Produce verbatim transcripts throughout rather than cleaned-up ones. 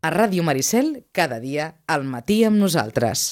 A Ràdio Maricel, cada dia, al matí amb nosaltres.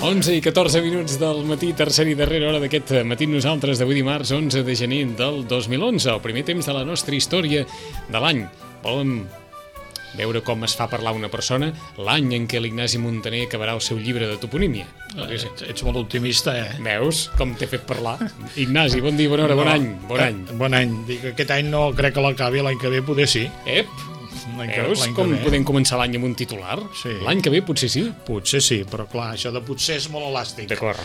onze i catorze minuts del matí, tercera i darrera hora d'aquest matí nosaltres d'avui dimarts onze de gener del dos mil onze, el primer temps de la nostra història de l'any. Volem veure com es fa parlar una persona l'any en què l'Ignasi Muntaner acabarà el seu llibre de toponímia. Ets, ets molt optimista, eh? Veus com t'he fet parlar? Ignasi, bon dia, bona hora, bon any. Bon any. Bon any. Dic, aquest any no crec que l'acabi, l'any que ve poder sí. Ep! Veus com podem començar l'any amb un titular? Sí. L'any que ve potser sí? Potser sí, però clar, això de potser és molt elàstic. D'acord.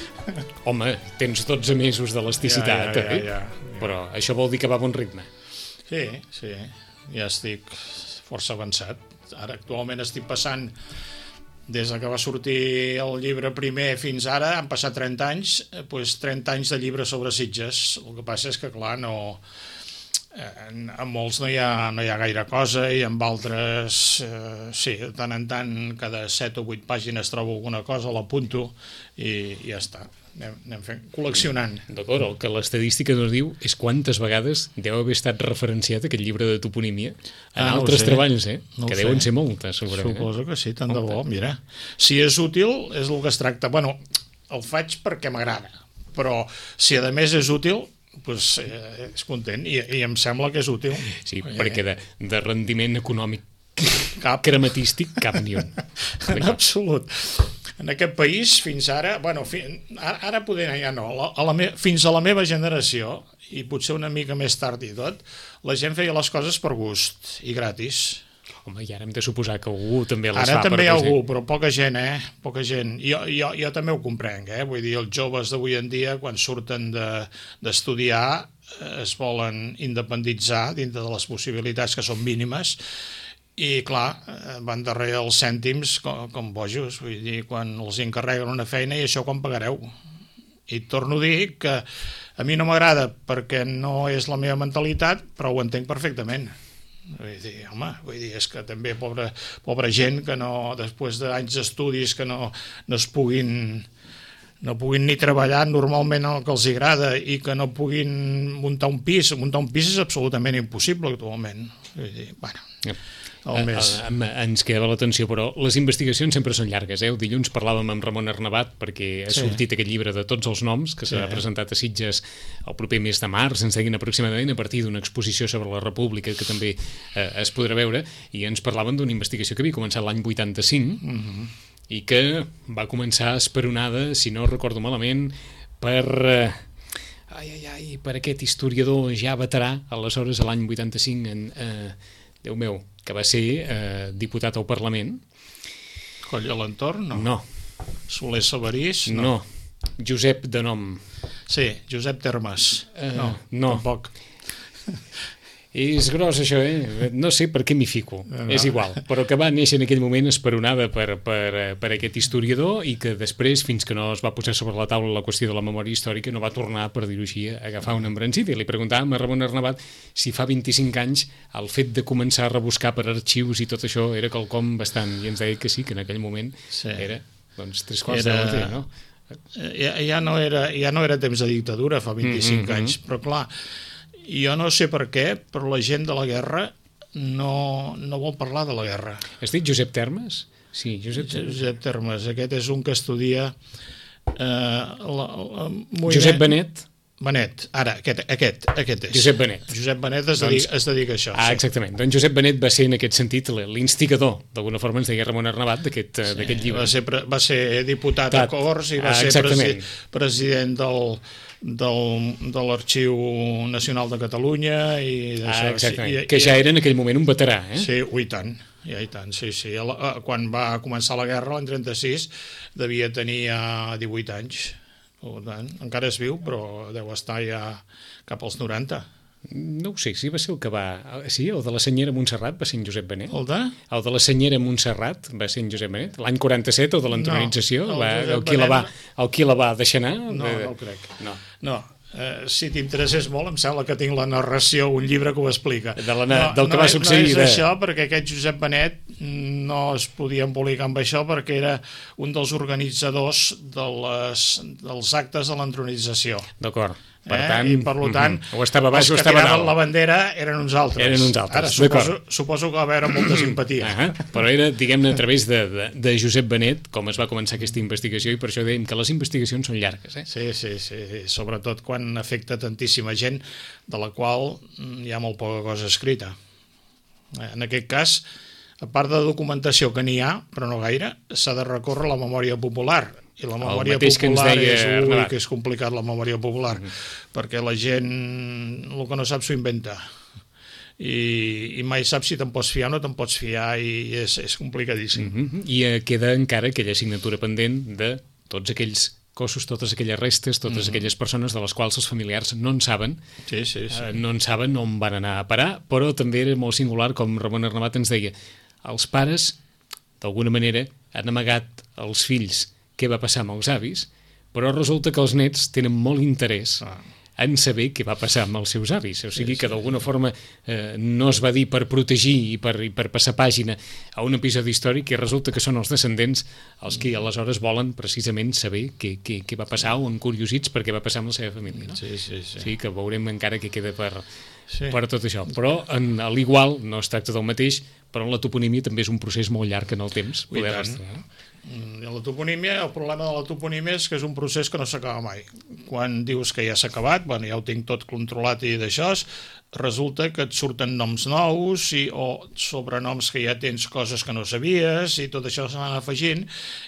Home, tens dotze mesos d'elasticitat, ja, ja, ja, eh? ja, ja. Però això vol dir que va a bon ritme. Sí, sí, ja estic força avançat. Ara actualment estic passant, des que va sortir el llibre primer fins ara, han passat trenta anys, doncs trenta anys de llibre sobre Sitges. El que passa és que, clar, no... En, en molts no hi, ha, no hi ha gaire cosa i en altres eh, sí, de tant en tant cada set o vuit pàgines trobo alguna cosa, l'apunto i, i ja està, anem, anem fent, col·leccionant. D'acord, el que l'estadística ens diu és quantes vegades deu haver estat referenciat aquest llibre de toponímia en ah, no altres treballs, eh? No que sé. Deuen ser moltes, segurament. Suposo que sí, tant de bo, mira. Si és útil, és el que es tracta. Bueno, el faig perquè m'agrada, però si a més és útil, pues, eh, és content I, i em sembla que és útil. Sí, eh. perquè de, de rendiment econòmic cap crematístic cap ni un. En absolut. En aquest país fins ara, bueno, fi, ara, ara poder ja no, a la, a la me, fins a la meva generació i potser una mica més tard i tot, la gent feia les coses per gust i gratis. Home, i ara hem de suposar que algú també les ara fa. Ara també per hi ha present. algú, però poca gent, eh? Poca gent. Jo, jo, jo també ho comprenc, eh? Vull dir, els joves d'avui en dia, quan surten d'estudiar, de, es volen independitzar dintre de les possibilitats que són mínimes i, clar, van darrere els cèntims com, com bojos. Vull dir, quan els encarreguen una feina i això quan pagareu. I torno a dir que a mi no m'agrada perquè no és la meva mentalitat, però ho entenc perfectament. Vull dir, home, vull dir, és que també pobra, pobra gent que no, després d'anys d'estudis que no, no es puguin no puguin ni treballar normalment el que els agrada i que no puguin muntar un pis. Muntar un pis és absolutament impossible actualment. Vull dir, bueno... Yep. El més... Ens quedava l'atenció, però les investigacions sempre són llargues. Eh? El dilluns parlàvem amb Ramon Arnabat perquè ha sí. sortit aquest llibre de tots els noms que s'ha sí. presentat a Sitges el proper mes de març, ens deien aproximadament a partir d'una exposició sobre la República que també eh, es podrà veure, i ens parlaven d'una investigació que havia començat l'any vuitanta-cinc uh -huh. i que va començar esperonada, si no recordo malament, per... Eh, ai, ai, ai, per aquest historiador ja veterà, aleshores a l'any vuitanta-cinc en... Eh, Déu meu, que va ser eh, diputat al Parlament. Coll a l'entorn? No. No. Soler Sabarís? No. no. Josep de nom. Sí, Josep Termes. Uh, no, no, tampoc. És gros això, eh? No sé per què m'hi fico, no. és igual, però que va néixer en aquell moment esperonada per, per, per aquest historiador i que després, fins que no es va posar sobre la taula la qüestió de la memòria històrica, no va tornar, per dir-ho així, a agafar un embranzit. I li preguntàvem a Ramon Arnabat si fa vint-i-cinc anys el fet de començar a rebuscar per arxius i tot això era quelcom bastant, i ens deia que sí, que en aquell moment sí. era, doncs, tres quarts era... de la teva, no? Ja, ja, no era, ja no era temps de dictadura fa vint-i-cinc mm-hmm. anys, però clar, jo no sé per què, però la gent de la guerra no, no vol parlar de la guerra. Has dit Josep Termes? Sí, Josep Termes. Josep Termes, aquest és un que estudia... Eh, la, la, moviment... Josep Benet? Benet, ara, aquest, aquest, aquest és. Josep Benet. Josep Benet es, doncs, dedica, es dedica a això. Ah, sí. exactament. Doncs Josep Benet va ser en aquest sentit l'instigador, d'alguna forma ens deia Ramon Arnabat, d'aquest sí, llibre. Va ser, va ser diputat Tat. a Corts i va ah, ser presi president del... del, de l'Arxiu Nacional de Catalunya i ah, exactament, i, que ja era en aquell moment un veterà, eh? Sí, ui, tant, ja, i tant, sí, sí. Quan va començar la guerra, l'any trenta-sis, devia tenir ja divuit anys, per tant, encara és viu, però deu estar ja cap als noranta. No ho sé, si va ser el que va... Sí, el de la senyera Montserrat va ser en Josep Benet. El de? El de la senyera Montserrat va ser en Josep Benet. L'any quaranta-set, el de l'entronització, No, el va, Josep el, qui la va, Benet el qui la va deixar anar... No, de... no ho crec. No. No. Uh, si t'interessés molt, em sembla que tinc la narració, un llibre que ho explica. De la, no, del que no, va succeir. No és de... això, perquè aquest Josep Benet no es podia embolicar amb això perquè era un dels organitzadors de les, dels actes de l'entronització. D'acord. Per Eh? tant, I per tant, uh -huh. o estava baix o estava els que tiraven dalt. la bandera eren uns altres. Eren uns altres, Ara suposo, suposo que va haver molta simpatia. Uh -huh. Però era, diguem-ne, a través de, de, de Josep Benet com es va començar aquesta investigació, i per això dèiem que les investigacions són llargues. Eh? Sí, sí, sí, sobretot quan afecta tantíssima gent, de la qual hi ha molt poca cosa escrita. En aquest cas, a part de documentació que n'hi ha, però no gaire, s'ha de recórrer a la memòria popular. I la memòria popular és, ui, que és complicat, la memòria popular, uh -huh. perquè la gent el que no sap s'ho inventa. I, i mai saps si te'n pots fiar o no te'n pots fiar, i és, és complicadíssim. Uh -huh. I eh, queda encara aquella assignatura pendent de tots aquells cossos, totes aquelles restes, totes uh -huh. aquelles persones de les quals els familiars no en saben, sí, sí, sí. Eh, no en saben on van anar a parar, però també era molt singular, com Ramon Arnabat ens deia, els pares, d'alguna manera, han amagat als fills què va passar amb els avis, però resulta que els nets tenen molt interès ah. en saber què va passar amb els seus avis. O sigui sí, sí, que d'alguna sí. forma eh, no es va dir per protegir i per, i per passar pàgina a un episodi històric, i resulta que són els descendents els que aleshores volen precisament saber què, què, què va passar, o encuriosits per què va passar amb la seva família. No? Sí, sí, sí. O sigui que veurem encara què queda per, sí. per tot això. Però en, a l'igual no es tracta del mateix, però en la toponímia també és un procés molt llarg en el temps. Poder rastrear. I la toponímia, el problema de la toponímia és que és un procés que no s'acaba mai. Quan dius que ja s'ha acabat, bueno, ja ho tinc tot controlat i d'això, resulta que et surten noms nous i, o sobrenoms que ja tens coses que no sabies, i tot això s'han afegint,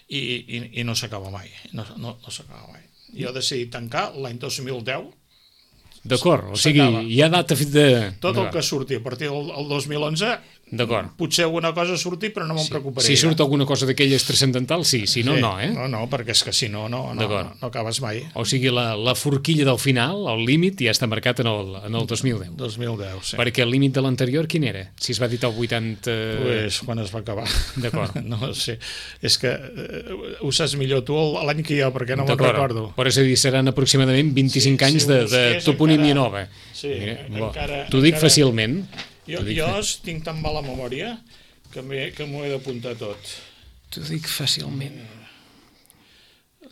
i, i, i no s'acaba mai. No, no, no s'acaba mai. Jo he decidit tancar l'any dos mil deu. D'acord, o sigui, hi ha data de... Tot el que surti a partir del el dos mil onze, potser alguna cosa surti, però no me'n sí. preocuparé. Si surt alguna cosa d'aquelles transcendentals, sí, si no, sí. no, eh? No, no, perquè és que si no, no, no, no, no acabes mai. O sigui, la, la forquilla del final, el límit, ja està marcat en el, en el dos mil deu. dos mil deu, sí. Perquè el límit de l'anterior, quin era? Si es va editar el vuitanta... Pues quan es va acabar. D'acord. No sé, és que uh, ho saps millor tu l'any que jo, perquè no me'n recordo. Però és a dir, seran aproximadament vint-i-cinc sí, anys sí, de, de toponímia encara... nova. Sí, Mira, encara... T'ho dic encara... fàcilment. Jo, dic... jo tinc tan mala memòria que m'ho he d'apuntar tot. T'ho dic fàcilment.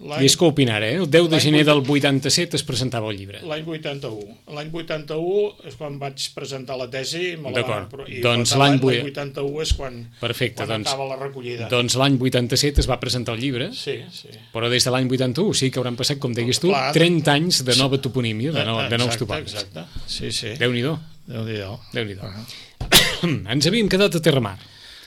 I és que opinar, eh? El deu de gener del vuitanta-set es presentava el llibre. L'any vuitanta-u. L'any vuitanta-u és quan vaig presentar la tesi. D'acord. Doncs l'any vuitanta-u és quan, Perfecte, quan doncs, acaba la recollida. Doncs l'any vuitanta-set es va presentar el llibre. Sí, sí. Però des de l'any vuitanta-u sí que hauran passat, com deies tu, Clar, trenta anys de nova toponímia, de, no, de nous topònims. Exacte, sí, sí. Déu-n'hi-do. Déu-n'hi-do. Déu-n'hi-do. Uh-huh. Ens havíem quedat a Terramar.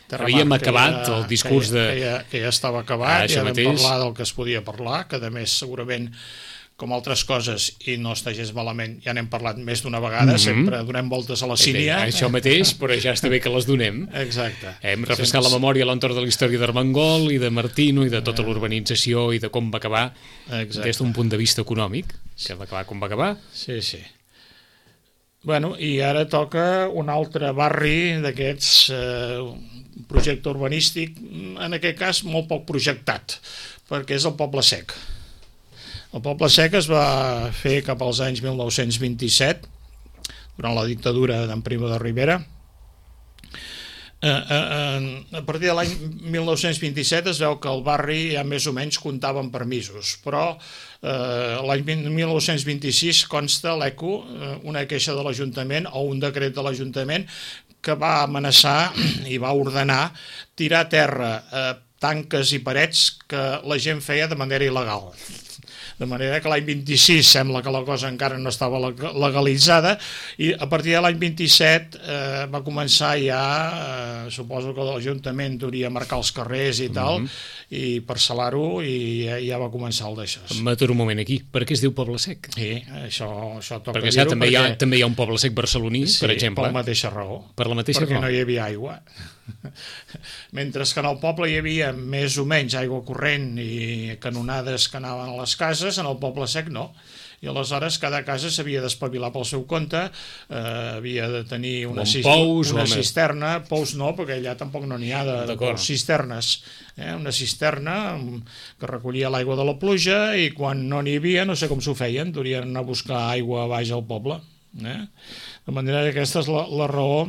Terramar, Havíem acabat ja, el discurs que ja, de... Que ja, que ja estava acabat, ah, ja vam mateix. parlar del que es podia parlar, que a més segurament, com altres coses, i no està gens malament, ja n'hem parlat més d'una vegada, mm-hmm. sempre donem voltes a la sínia. Eh, això mateix, però ja està bé que les donem. Exacte. Hem refrescat Sense... la memòria a l'entorn de la història d'Armengol i de Martino i de tota l'urbanització i de com va acabar Exacte. Des d'un punt de vista econòmic, que va acabar com va acabar. Sí, sí. Bueno, i ara toca un altre barri d'aquests, eh, projecte urbanístic, en aquest cas molt poc projectat, perquè és el Poble Sec. El Poble Sec es va fer cap als anys mil nou-cents vint-i-set, durant la dictadura d'en Primo de Rivera. Eh, eh, a partir de l'any mil nou-cents vint-i-set es veu que el barri ja més o menys comptava amb permisos, però eh, l'any mil nou-cents vint-i-sis consta l'ECO, eh, una queixa de l'Ajuntament o un decret de l'Ajuntament que va amenaçar i va ordenar tirar a terra eh, tanques i parets que la gent feia de manera il·legal. De manera que l'any vint-i-sis sembla que la cosa encara no estava legalitzada, i a partir de l'any vint-i-set eh, va començar ja, eh, suposo que l'Ajuntament hauria marcar els carrers i tal, mm-hmm. i parcel·lar-ho, i ja, ja va començar el d'això. M'aturo un moment aquí. Per què es diu Poble Sec? Sí, això, això toca perquè, dir-ho. Ja, també, perquè... hi ha, també hi ha un Poble Sec barceloní, sí, per exemple. per la mateixa raó. Per la mateixa perquè raó. no hi havia aigua. Mentre que en el poble hi havia més o menys aigua corrent i canonades que anaven a les cases, en el Poble Sec no. i aleshores cada casa s'havia d'espavilar pel seu compte, eh, havia de tenir una, bon pous, una home. cisterna, pous no, perquè allà tampoc no n'hi ha de, de pous, cisternes, eh, una cisterna que recollia l'aigua de la pluja, i quan no n'hi havia, no sé com s'ho feien, durien anar a buscar aigua baix al poble. Eh? De manera que aquesta és la, la raó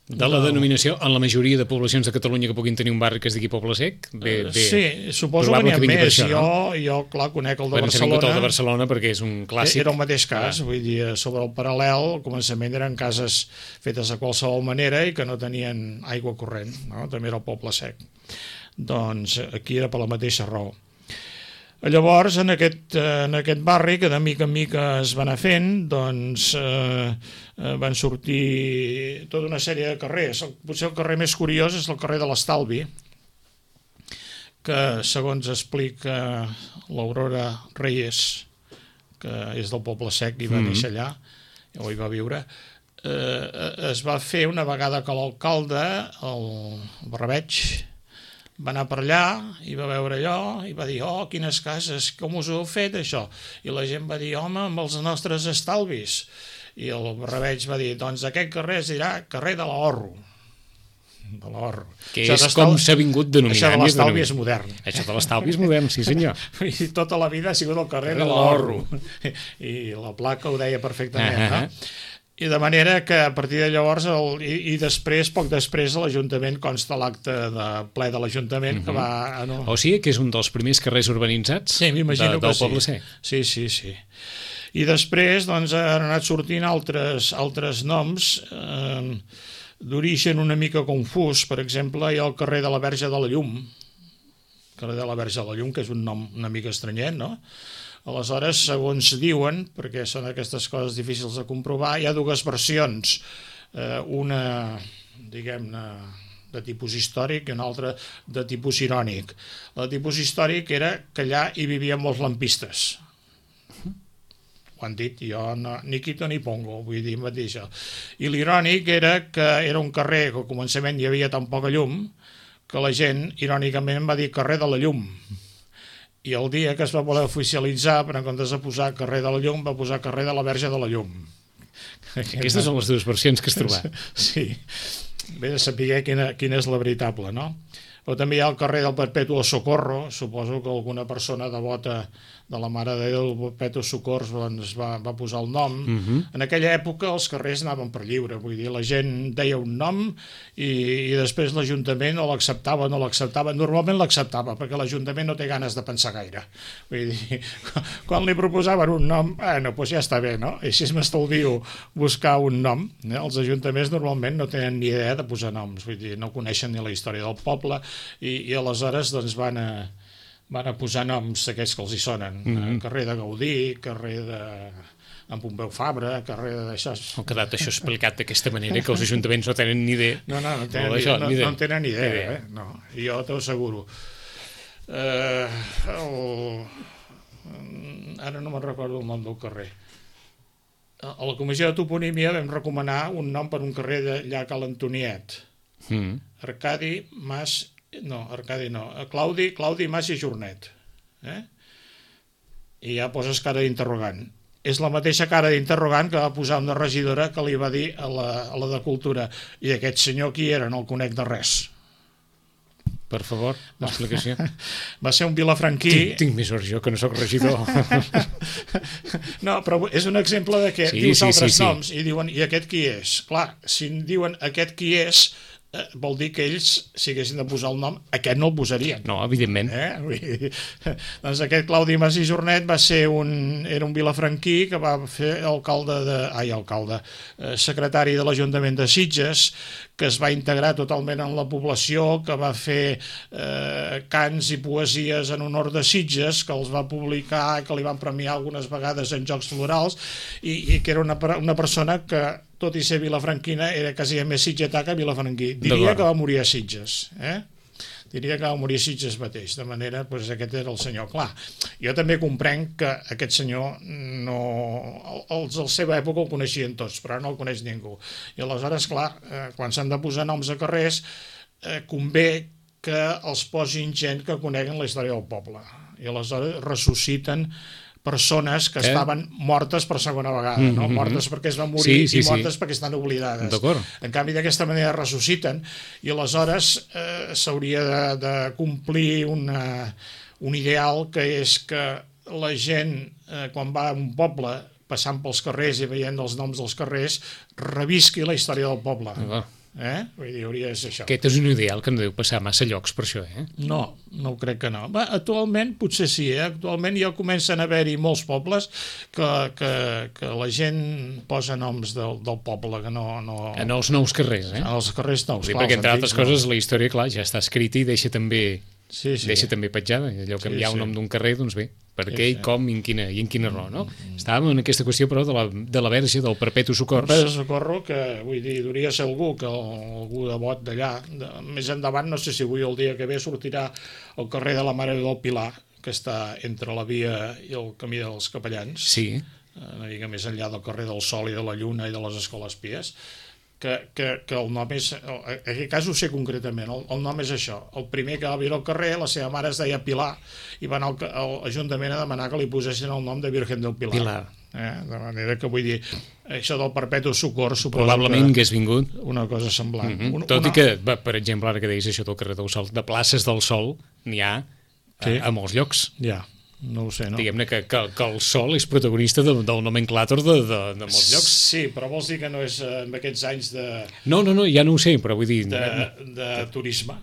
de la denominació en la majoria de poblacions de Catalunya que puguin tenir un barri que es digui Poble Sec. Bé, bé, sí, suposo que n'hi ha més. Això, jo, no? jo, clar, conec el de bueno, Barcelona. El de Barcelona perquè és un clàssic. Era el mateix cas, ah. vull dir, sobre el paral·lel, al començament eren cases fetes de qualsevol manera i que no tenien aigua corrent, no? També era el Poble Sec. Doncs aquí era per la mateixa raó. Llavors, en aquest, en aquest barri, que de mica en mica es va anar fent, doncs eh, van sortir tota una sèrie de carrers. Potser el carrer més curiós és el carrer de l'Estalvi, que, segons explica l'Aurora Reyes, que és del Poble Sec i va mm-hmm. néixer allà, o hi va viure, eh, es va fer una vegada que l'alcalde, el Barrabeig, va anar per allà i va veure allò i va dir, oh, quines cases, com us ho heu fet, això? I la gent va dir, home, amb els nostres estalvis. I el Barrabeig va dir, doncs aquest carrer es dirà carrer de l'Ahorro. De l'Ahorro. Que és com s'ha vingut denominant. Això de l'estalvi és modern. Això de l'estalvi és modern, sí senyor. I tota la vida ha sigut el carrer de l'Ahorro. I la placa ho deia perfectament, uh-huh. no? I de manera que a partir de llavors, el, i, i després, poc després, a l'Ajuntament consta l'acte de ple de l'Ajuntament, uh-huh. que va... Ah, no. O sigui que és un dels primers carrers urbanitzats sí, m'imagino de, que del Poble Sec. Sí, sí, sí. I després doncs, han anat sortint altres, altres noms eh, d'origen una mica confús. Per exemple, hi ha el carrer de la Verge de la Llum, carrer de la Verge de la Llum, que és un nom una mica estranyet, no? Aleshores, segons diuen, perquè són aquestes coses difícils de comprovar, hi ha dues versions, eh, una, diguem-ne, de tipus històric i una altra de tipus irònic. La de tipus històric era que allà hi vivien molts lampistes. Ho han dit, jo no, ni quito ni pongo, vull dir mateix. I l'irònic era que era un carrer que al començament hi havia tan poca llum que la gent, irònicament, va dir carrer de la llum. I el dia que es va voler oficialitzar, per en comptes de posar carrer de la Llum, va posar carrer de la Verge de la Llum. Aquestes són les dues versions que has trobat. Sí, bé de saber quina, quina és la veritable, no? O també hi ha el carrer del Perpetuo Socorro, suposo que alguna persona devota de la Mare de Déu del Perpetuo Socors doncs, va, va posar el nom. Uh-huh. En aquella època els carrers anaven per lliure, vull dir, la gent deia un nom i, i després l'Ajuntament o l'acceptava o no l'acceptava. Normalment l'acceptava, perquè l'Ajuntament no té ganes de pensar gaire. Vull dir, quan li proposaven un nom, bueno, doncs ja està bé, no? I així m'estalvio buscar un nom. Eh? Els ajuntaments normalment no tenen ni idea de posar noms, vull dir, no coneixen ni la història del poble i, i aleshores doncs van a van a posar noms aquests que els hi sonen. Mm-hmm. Carrer de Gaudí, carrer de... en Pompeu Fabra, carrer d'això... Ha quedat això explicat d'aquesta manera, que els ajuntaments no tenen ni idea. No, no, no tenen, això, ni, no, no tenen ni idea, idea. Eh? No, jo t'ho asseguro. Eh, el... Ara no me'n recordo el nom del carrer. A la Comissió de Toponímia vam recomanar un nom per un carrer d'allà a Cal Antoniet. Mm. Arcadi Mas... No, Arcadi no. Claudi, Claudi Mas i Jornet. Eh? I ja poses cara d'interrogant. És la mateixa cara d'interrogant que va posar una regidora que li va dir a la, a la de Cultura. I aquest senyor qui era? No el conec de res. Per favor, l'explicació. Va ser un vilafranquí... Tinc, tinc més hora jo, que no sóc regidor. No, però és un exemple de que sí, dius sí, altres sí, sí. noms i diuen, i aquest qui és? Clar, si diuen aquest qui és... vol dir que ells, si haguessin de posar el nom, aquest no el posarien. No, evidentment. Eh? Doncs aquest Claudi Mas i Jornet va ser un, era un vilafranquí que va fer alcalde de, ai, alcalde, eh, secretari de l'Ajuntament de Sitges, que es va integrar totalment en la població, que va fer eh, cants i poesies en honor de Sitges, que els va publicar, que li van premiar algunes vegades en Jocs Florals, i, i que era una, una persona que, tot i ser vilafranquina, era quasi més sitgetà que vilafranquí. Diria que va morir a Sitges, eh? Diria que va morir a Sitges mateix, de manera, doncs aquest era el senyor. Clar, jo també comprenc que aquest senyor no... Els de la seva època el coneixien tots, però no el coneix ningú. I aleshores, clar, quan s'han de posar noms a carrers, eh, convé que els posin gent que coneguen la història del poble. I aleshores ressusciten persones que eh? estaven mortes per segona vegada, mm -hmm. no? Mortes perquè es van morir sí, sí, i mortes sí. perquè estan oblidades. En canvi, d'aquesta manera ressusciten i aleshores eh, s'hauria de, de complir una, un ideal que és que la gent, eh, quan va a un poble, passant pels carrers i veient els noms dels carrers, revisqui la història del poble. Ah, Eh? Vull dir, hauria de ser això. Aquest és un ideal que no deu passar massa llocs per això, eh? No, no ho crec que no. Va, actualment, potser sí, eh? Actualment ja comencen a haver-hi molts pobles que, que, que la gent posa noms del, del poble, que no... no... En els nous carrers, eh? En els carrers nous, sí, clar. Perquè, entre altres coses, no. La història, clar, ja està escrita i deixa també... Sí, sí. Deixa també petjada, allò que sí, hi ha un sí. nom d'un carrer, doncs bé, per sí, què i sí. com i en quina, i en quina raó, no? Mm, mm. Estàvem en aquesta qüestió, però, de la, de la verge del Perpetu Socors. El Perpetu Socorro, que, vull dir, hauria ser algú, que algú de bot d'allà. De, més endavant, no sé si avui el dia que ve sortirà al carrer de la Mare del Pilar, que està entre la via i el camí dels Capellans, sí. una mica més enllà del carrer del Sol i de la Lluna i de les Escoles Pies, que, que, que el nom és, en aquest cas ho sé concretament, el, el nom és això, el primer que va viure al carrer, la seva mare es deia Pilar, i va anar al, al Ajuntament a demanar que li posessin el nom de Virgen del Pilar. Pilar. Eh? De manera que vull dir, això del Perpetu Socors suposo probablement que hagués vingut una cosa semblant. Mm -hmm. una, Tot una... i que, per exemple, ara que deies això del carrer del Sol, de places del Sol n'hi ha sí. a, a molts llocs. Ja. No ho sé, no? Diguem-ne que, que, que el Sol és protagonista de, del nomenclàtor de, de, de molts llocs. Sí, però vols dir que no és en aquests anys de... No, no, no, ja no ho sé, però vull dir... De, de turisme.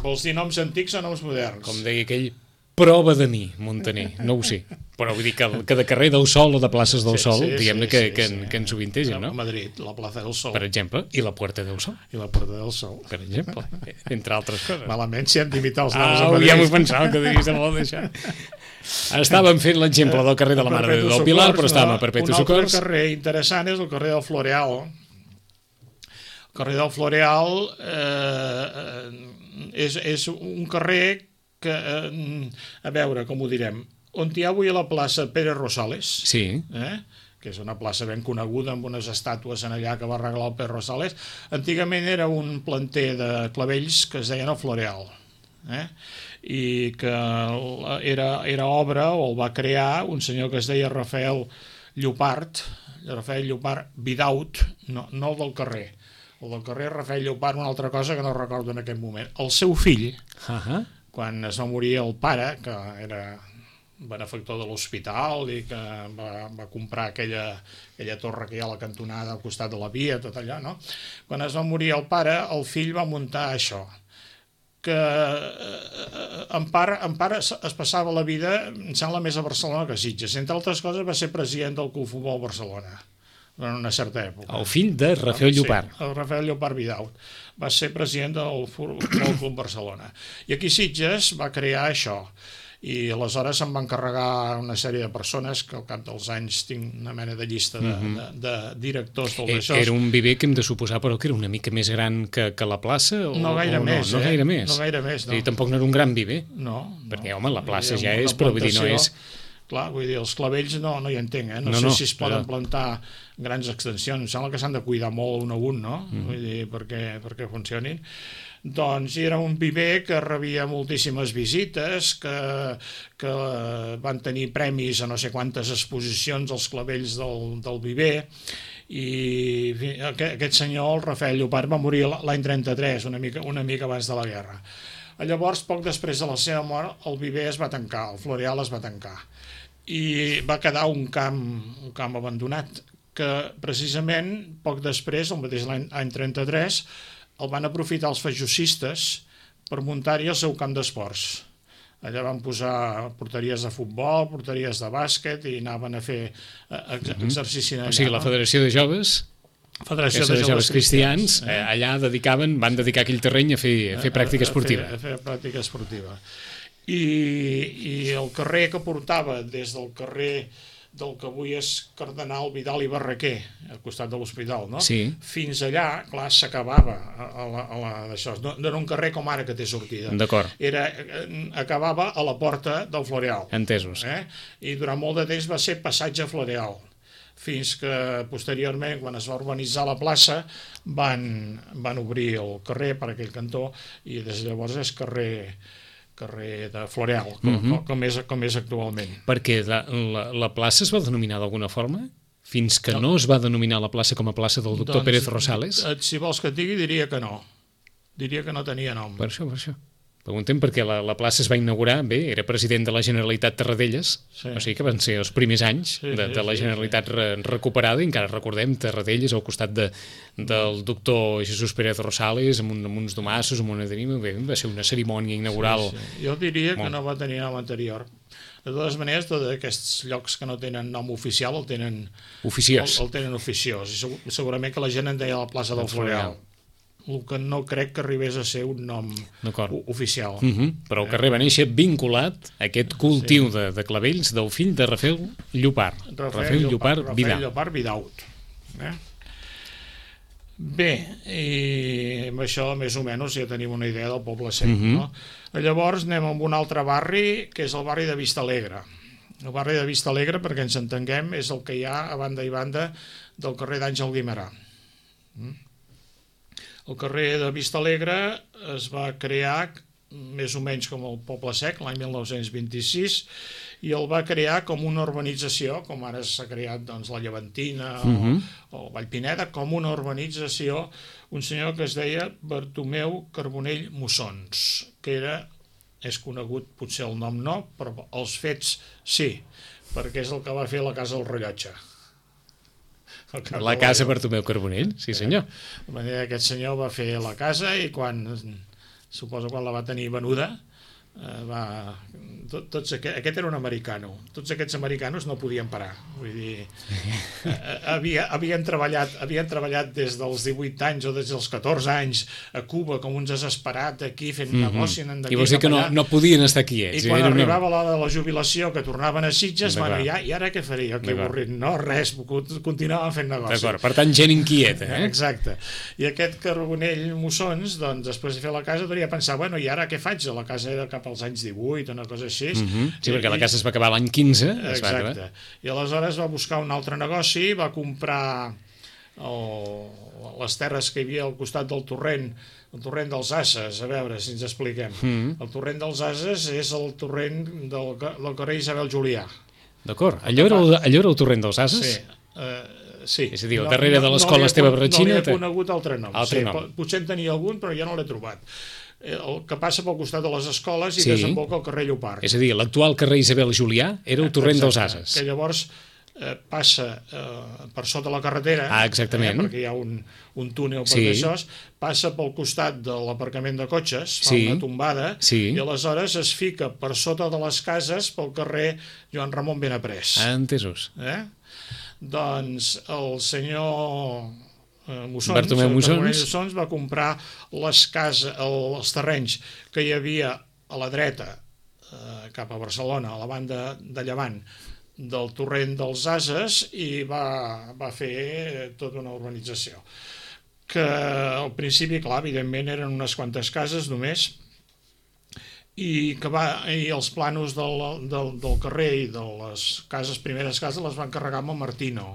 Vols dir noms antics o noms moderns? Com deia aquell, prova de mi, Montaner, no ho sé. Però vull dir que, que de carrer del Sol o de places del sí, Sol, sí, diguem-ne sí, que, sí, que, sí. que ens sovintegen, no? A Madrid, la plaça del Sol. Per exemple, i la Puerta del Sol. I la Puerta del Sol. Per exemple, entre altres coses. Malament si hem d'imitar els noms ah, a Madrid. ja m'ho pensava que deies de molt d'això. Estàvem fent l'exemple del carrer de la Mare de Déu del Pilar, però estàvem a Perpetu Socors. Un altre carrer interessant és el carrer del Floreal. El carrer del Floreal eh, és, és un carrer que, eh, a veure, com ho direm, on hi ha avui a la plaça Pere Rosales, sí. eh? que és una plaça ben coneguda amb unes estàtues en allà que va arreglar el Pere Rosales, antigament era un planter de clavells que es deien el Floreal, eh? i que era, era obra, o el va crear un senyor que es deia Rafael Llopart, Rafael Llopart Vidaut, no, no el del carrer, el del carrer Rafael Llopart, una altra cosa que no recordo en aquest moment. El seu fill, uh-huh. quan es va morir el pare, que era benefactor de l'hospital i que va, va comprar aquella, aquella torre que hi ha a la cantonada al costat de la via, tot allò, no? Quan es va morir el pare, el fill va muntar això, que eh, en part, en part es, es passava la vida, em sembla, més a Barcelona que a Sitges. Entre altres coses va ser president del Club Futbol Barcelona en una certa època. El fill de Rafael Llopart. Sí, el Rafael Llopart Vidaut. Va ser president del Futbol Club Barcelona. I aquí Sitges va crear això. I aleshores se'n va encarregar una sèrie de persones que al cap dels anys tinc una mena de llista de, mm-hmm. de, de directors del d'això. Era un viver que hem de suposar, però que era una mica més gran que, que la plaça? O, no gaire o més, no? No eh? gaire més. No gaire més, no. I tampoc no era un gran viver? No. Perquè, no. home, la plaça ja és, però vull dir, no és... Clar, vull dir, els clavells no, no hi entenc, eh? No, no sé no, si es poden però... plantar grans extensions. Em sembla que s'han de cuidar molt un a un, no? Mm. Vull dir, perquè, perquè funcionin. Doncs era un viver que rebia moltíssimes visites, que, que van tenir premis a no sé quantes exposicions als clavells del, del viver, i aquest, aquest senyor, el Rafael Llopart, va morir l'any trenta-tres, una mica, una mica abans de la guerra. Llavors, poc després de la seva mort, el viver es va tancar, el Floreal es va tancar, i va quedar un camp, un camp abandonat, que precisament poc després, el mateix any trenta-tres, el van aprofitar els feixosistes per muntar-hi el seu camp d'esports. Allà van posar porteries de futbol, porteries de bàsquet, i anaven a fer exercici allà. O sigui, la Federació de Joves... Federació de, de Joves Cristians, cristians eh? allà dedicaven, van dedicar aquell terreny a fer, a fer pràctica esportiva. A fer, a fer pràctica esportiva. I, I el carrer que portava des del carrer del que avui és Cardenal Vidal i Barraquer, al costat de l'hospital, no? Sí. Fins allà, clar, s'acabava a la, a la, d'això. No, no era un carrer com ara que té sortida. D'acord. Era, acabava a la porta del Floreal. Entesos. Eh? I durant molt de temps va ser passatge Floreal, fins que posteriorment, quan es va urbanitzar la plaça, van, van obrir el carrer per aquell cantó, i des de llavors és carrer, carrer de Floreal, com, uh-huh. com, com, és, com és actualment. Perquè la, la, la plaça es va denominar d'alguna forma? Fins que no. no es va denominar la plaça com a plaça del doctor doncs, Pérez Rosales? Si vols que et digui, diria que no. Diria que no tenia nom. Per això, per això. Preguntem perquè la, la plaça es va inaugurar, bé, era president de la Generalitat Tarradellas, sí. O sigui que van ser els primers anys sí, de, de la Generalitat sí, sí. Re, recuperada, i encara recordem Tarradellas al costat de, del doctor Jesús Pérez Rosales, amb, un, amb uns domassos, amb una tenima, bé, va ser una cerimònia inaugural. Sí, sí. Jo diria que no va tenir nom anterior. De totes maneres, tots aquests llocs que no tenen nom oficial el tenen oficiós. El, el tenen oficiós. I segurament que la gent en deia la plaça del Floreal. El que no crec que arribés a ser un nom oficial. Uh -huh. Però el carrer va néixer vinculat a aquest cultiu sí. de, de clavells del fill de Rafael Llopart. Rafael, Rafael Llopart, Llopart Vidaut. Rafael Llopart Vidaut. Eh? Bé, i amb això més o menys ja tenim una idea del Poble Sec. Uh -huh. No? Llavors anem a un altre barri, que és el barri de Vistalegre. El barri de Vistalegre, perquè ens entenguem, és el que hi ha a banda i banda del carrer d'Àngel Guimerà. El carrer de Vistalegre es va crear més o menys com el Poble Sec l'any mil nou-cents vint-i-sis, i el va crear com una urbanització, com ara s'ha creat doncs, la Llevantina uh-huh. o, o Vallpineda, com una urbanització, un senyor que es deia Bartomeu Carbonell Mussons, que era, és conegut, potser el nom no, però els fets sí, perquè és el que va fer la Casa del Rellotge. La casa Bartomeu Carbonell, sí senyor. De manera que aquest senyor va fer la casa i quan, suposo quan la va tenir venuda, eh, va, tot, tots aquest, aquest era un americano, tots aquests americanos no podien parar, vull dir, eh, havia, havien, treballat, havien treballat des dels divuit anys o des dels catorze anys a Cuba com uns desesperats aquí fent mm-hmm. negoci. I vols dir que no, no podien estar aquí, eh? I quan arribava una... l'hora de la jubilació, que tornaven a Sitges, van ja, i ara què faria? Aquí avorrit? No, res, continuaven fent negoci. D'acord, per tant, gent inquieta, eh? Exacte. I aquest Carbonell Mussons, doncs, després de fer la casa, devia pensar, bueno, i ara què faig? La casa era cap als anys divuit, una cosa així. Mm-hmm. Sí, I, perquè la casa es va acabar l'any quinze. Exacte. I aleshores va buscar un altre negoci, va comprar el, les terres que hi havia al costat del torrent, el torrent dels Ases, a veure si ens expliquem. Mm. El torrent dels Ases és el torrent del, del carrer Isabel Julià. D'acord. Allò, era el, allò era el torrent dels Ases? Sí. Uh, sí. És a dir, no, darrere de l'escola no Esteve Barratxina... No li he conegut altre nom. Altre sí, nom. Potser en tenia algun, però ja no l'he trobat. El que passa pel costat de les escoles i sí. desemboca al carrer Llopart. És a dir, l'actual carrer Isabel Julià era el torrent Exacte, dels Ases. Que llavors eh, passa eh, per sota la carretera, ah, exactament. Eh, perquè hi ha un, un túnel per sí. això, passa pel costat de l'aparcament de cotxes, fa sí. una tombada, sí. i aleshores es fica per sota de les cases pel carrer Joan Ramon Benaprés. Ah, entesos. Eh? Doncs el senyor... Mussons, Bartomeu Mussons. Mussons va comprar les cases, els terrenys que hi havia a la dreta eh, cap a Barcelona, a la banda de llevant del torrent dels Ases, i va, va fer tota una urbanització que al principi, clar, evidentment eren unes quantes cases només, i que va, i els planos del, del, del carrer i de les cases, primeres cases, les van carregar amb el Martino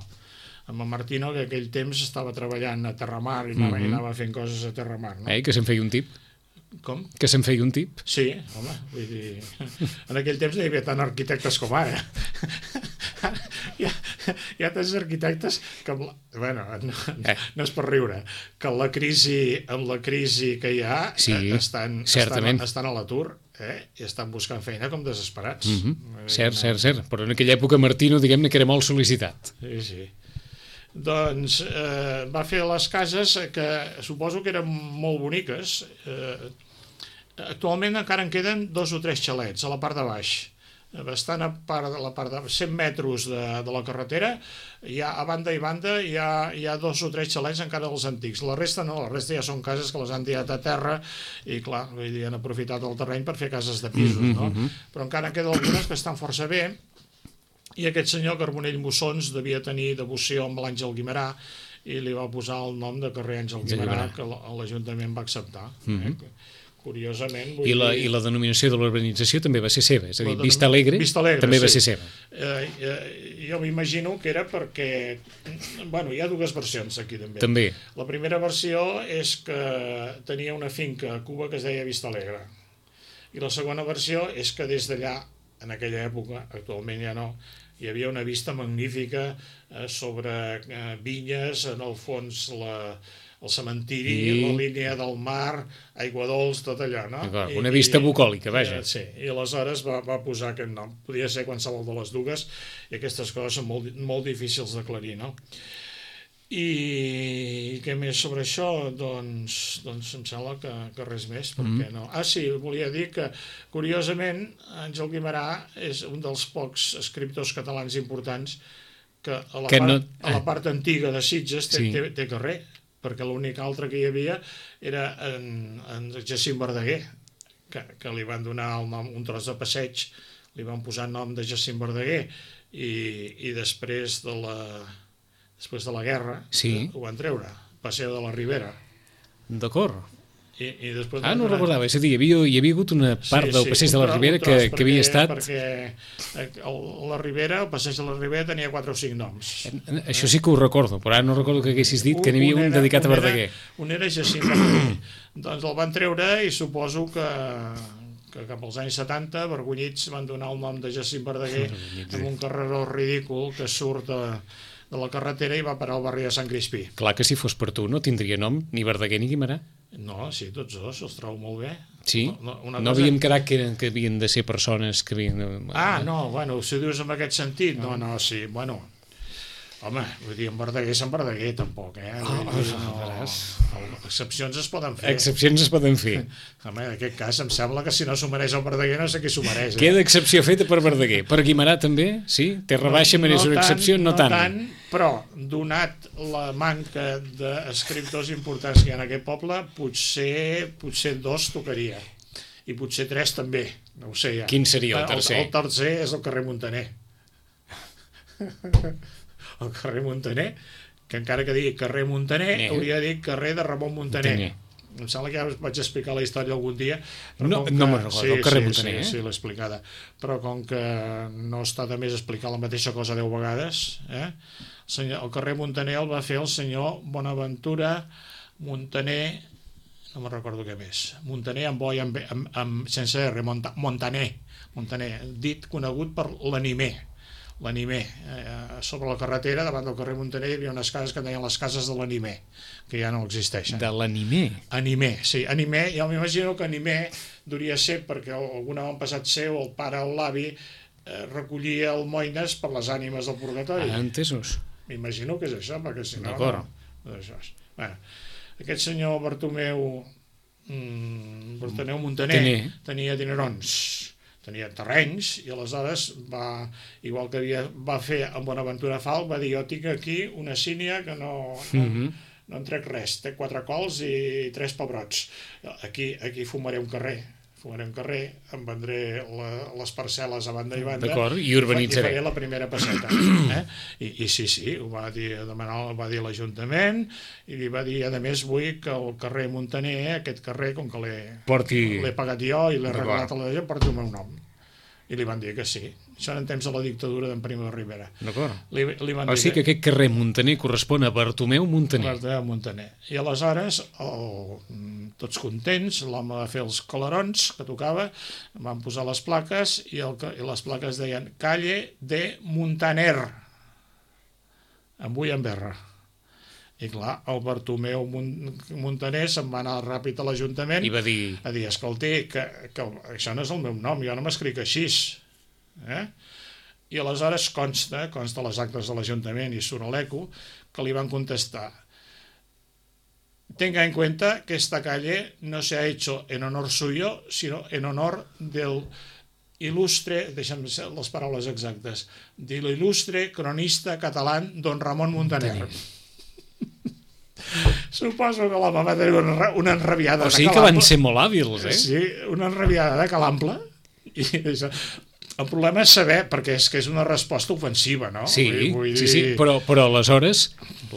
amb el Martino, que aquell temps estava treballant a Terramar i anava, mm-hmm. i anava fent coses a Terramar. No? Eh, que se'n feia un tip. Com? Que se'n feia un tip. Sí, home, vull dir... En aquell temps no hi havia tant arquitectes com ara. hi, ha, hi ha tants arquitectes que... Amb la, bueno, no, eh. no és per riure, que amb la crisi, amb la crisi que hi ha sí, estan, estan, estan a l'atur. Eh? I estan buscant feina com desesperats. Mm-hmm. Cert, cert, cert. Però en aquella època Martino, diguem-ne que era molt sol·licitat. Sí, sí. Doncs eh, va fer les cases que suposo que eren molt boniques. Eh, actualment encara en queden dos o tres xalets a la part de baix. Bastant a part de la part de cent metres de, de la carretera, hi ha, a banda i banda hi ha, hi ha dos o tres xalets encara dels antics. La resta no, la resta ja són cases que les han tirat a terra i clar, vull dir, han aprofitat el terreny per fer cases de pisos, no? Mm-hmm. Però encara en queden algunes que estan força bé. I aquest senyor Carbonell Mussons devia tenir devoció amb l'Àngel Guimerà i li va posar el nom de carrer Àngel Guimerà, que l'Ajuntament va acceptar. Mm-hmm. eh? Curiosament... I la, dir... I la denominació de l'urbanització també va ser seva, és a dir, Vista Alegre, Vista Alegre també sí. va ser seva. Eh, eh, jo m'imagino que era perquè... Bueno, hi ha dues versions aquí també. També. La primera versió és que tenia una finca a Cuba que es deia Vista Alegre. I la segona versió és que des d'allà, en aquella època, actualment ja no, hi havia una vista magnífica eh, sobre eh, vinyes, en el fons la, el cementiri, I... la línia del mar, aigua dolç, tot allò, no? I, una vista bucòlica, vaja. I, sí, i aleshores va, va posar aquest nom. Podia ser qualsevol de les dues, i aquestes coses són molt, molt difícils d'aclarir, no? I què més sobre això? Doncs, doncs em sembla que, que res més, perquè no. Ah, sí, volia dir que, curiosament, Àngel Guimerà és un dels pocs escriptors catalans importants que a la, que part, no... a la part antiga de Sitges té, sí. té, té carrer, perquè l'únic altre que hi havia era en, en Jacint Verdaguer, que, que li van donar el nom, un tros de passeig, li van posar el nom de Jacint Verdaguer, i, i després de la... després de la guerra, sí. ho van treure, Paseo de la Ribera. D'acord. I, i després ah, no recordava, és a dir, hi havia, hi havia hagut una part sí, del Passeig sí, de la Ribera que, perquè, que havia estat... Perquè el, la Ribera, el Passeig de la Ribera tenia quatre o cinc noms. Això sí que ho recordo, però ara no recordo que haguessis dit que n'hi havia un, un dedicat a Verdaguer. Un era, un era Jacint Verdaguer. Doncs el van treure i suposo que... que cap als anys setanta, vergonyits, van donar el nom de Jacint Verdaguer amb un carreró ridícul que surt de, de la carretera i va parar al barri de Sant Crispí. Clar que si fos per tu no tindria nom ni Verdaguer ni Guimerà. No, sí, tots dos, els trobo molt bé. Sí? No, no cosa... havíem quedat que, que havien de ser persones que havien... De... Ah, no, bueno, si dius en aquest sentit, no, no, sí, bueno... Home, vull dir, en Verdaguer Sant Verdaguer, tampoc, eh? Oh, dir, no, excepcions es poden fer. Excepcions es poden fer. Home, en aquest cas em sembla que si no s'ho mereix el Verdaguer no sé qui s'ho mereix. Eh? Queda excepció feta per Verdaguer. Per Guimerà també, sí? Té rebaixa, no, mereix no una tant, excepció, no, no tant. tant. Però, donat la manca d'escriptors importants que hi ha en aquest poble, potser, potser dos tocaria. I potser tres també, no ho sé ja. Quin seria el tercer? El, el tercer és el carrer Montaner. El carrer Montaner, que encara que digui carrer Montaner, eh. hauria de dir carrer de Ramon Montaner. Montaner. Em sembla que ja us vaig explicar la història algun dia. No, que... no me'n recordo, sí, el carrer sí, Montaner. Sí, eh? sí, l'he explicada. Però com que no està de més explicar la mateixa cosa deu vegades, eh? el, senyor, el carrer Montaner el va fer el senyor Bonaventura Montaner, no me'n recordo què més, Montaner amb boi, amb, amb, amb, sense R, Monta, Montaner, Montaner, dit conegut per l'animer. L'Animer, eh, sobre la carretera davant del carrer Montaner hi havia unes cases que deien les cases de l'Animer, que ja no existeixen. De l'Animer? Animer, sí, Animer, jo m'imagino que Animer duria ser perquè algun avantpassat seu, el pare o l'avi, eh, recollia almoines per les ànimes del purgatori. Ah, entesos. M'imagino que és això, perquè si no... D'acord. No, això és. Bueno, aquest senyor Bartomeu, mm, Bartomeu Montaner Tener. tenia dinerons, tenia terrenys, i aleshores va, igual que havia, va fer amb Bonaventura Fall, va dir, jo tinc aquí una sínia que no, no, mm-hmm. no en trec res, té quatre cols i tres pebrots. Aquí, aquí fumaré un carrer, fumaré un carrer, em vendré la, les parcel·les a banda i banda. D'acord, i urbanitzaré. I faré la primera passeta. Eh? I, I sí, sí, ho va dir, demanar, ho va dir l'Ajuntament, i li va dir, a més, vull que el carrer Montaner, aquest carrer, com que l'he Porti... pagat jo i l'he regalat a la gent, porti el meu nom. I li van dir que sí. Això en temps de la dictadura d'en Primo de Rivera. D'acord. Li, li van o dir sigui que aquest carrer Montaner correspon a Bartomeu Montaner. Bartomeu Montaner. I aleshores, el, tots contents, l'home va fer els colarons que tocava, van posar les plaques i, el, i les plaques deien Calle de Montaner, amb ull en berra. I clar, el Bartomeu Montaner se'n va anar ràpid a l'Ajuntament i va dir, a dir, escolti, que, que això no és el meu nom, jo no m'escric així. Eh? I aleshores consta, consta les actes de l'Ajuntament i surt l'eco, que li van contestar: tenga en cuenta que esta calle no se ha hecho en honor suyo, sino en honor del ilustre, deixa'm les paraules exactes, de l'il·lustre cronista català don Ramon Montaner. Montaner. Suposo que l'home va tenir una, una enrabiada o sigui de que van ser molt hàbils, eh? Sí, una enrabiada de calample. I això, el problema és saber, perquè és que és una resposta ofensiva, no? Sí, vull, vull dir... sí, sí, però, però aleshores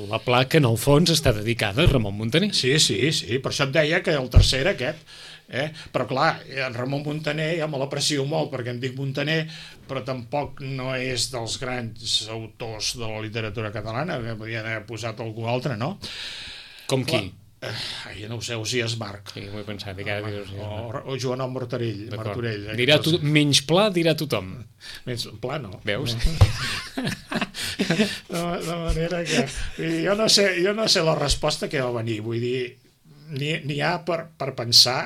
la placa en el fons està dedicada a Ramon Montaner. Sí, sí, sí, per això et deia que el tercer era aquest. Eh? Però clar, en Ramon Montaner ja me l'aprecio molt perquè em dic Montaner, però tampoc no és dels grans autors de la literatura catalana, que podien haver posat algú altre, no? Com qui? Ai, no ho sé, Osias Marc. Sí, m'ho he pensat, dic ara diré Osias Marc. O, o Joanot Martorell. Martorell eh? Dirà tu, menys pla dirà tothom. Menys pla no. Veus? de, de manera que... Vull dir, jo, no sé, jo no sé la resposta que va venir. Vull dir, n'hi ha per, per pensar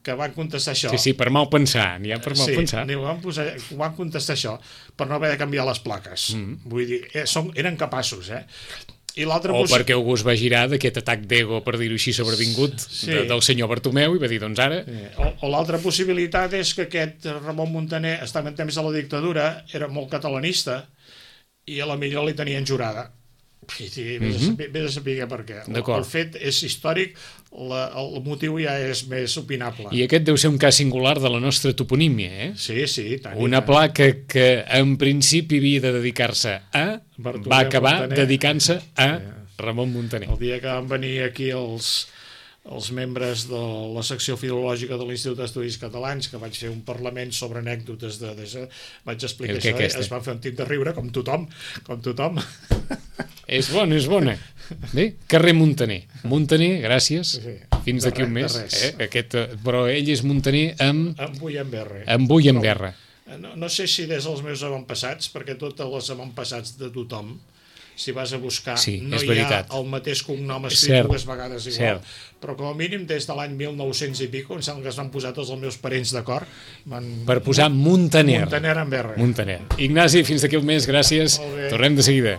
que van contestar això. Sí, sí, per mal pensar. N'hi ha per mal sí, pensar. Sí, van, posar, van contestar això per no haver de canviar les plaques. Mm. Vull dir, eh, són, eren capaços, eh? I o possi... perquè algú es va girar d'aquest atac d'ego, per dir-ho així, sobrevingut sí. de, del senyor Bartomeu i va dir, doncs ara... Sí. O, o l'altra possibilitat és que aquest Ramon Muntaner estava en temps de la dictadura, era molt catalanista i a la millor li tenien jurada. Sí, vés, mm -hmm. a saber per què. El, el fet és històric, la, el motiu ja és més opinable. I aquest deu ser un cas singular de la nostra toponímia, eh? Sí, sí. Tant Una tant. placa que en principi havia de dedicar-se a... Bartomeu va acabar Montaner. dedicant-se a Ramon Muntaner. El dia que van venir aquí els... els membres de la secció filològica de l'Institut d'Estudis Catalans, que vaig fer un parlament sobre anècdotes de... de vaig explicar això, eh? Es van fer un tip de riure, com tothom, com tothom. És bona, és bona. Bé, carrer Muntaner. Muntaner, gràcies. Sí, fins d'aquí un mes. Eh? Aquest, però ell és Muntaner amb... Amb Vull en Berra. Amb Vull en Berra. No, no sé si des dels meus avantpassats, perquè totes les avantpassats de tothom, si vas a buscar, sí, no hi veritat. ha el mateix cognom escrit dues vegades igual. Cert. Però com a mínim des de l'any mil nou-cents i pico, em sembla que es van posar tots els meus parents d'acord. Van... Per posar Muntaner. Muntaner en Berra. Muntaner. Ignasi, fins d'aquí un mes, gràcies. Tornem de seguida.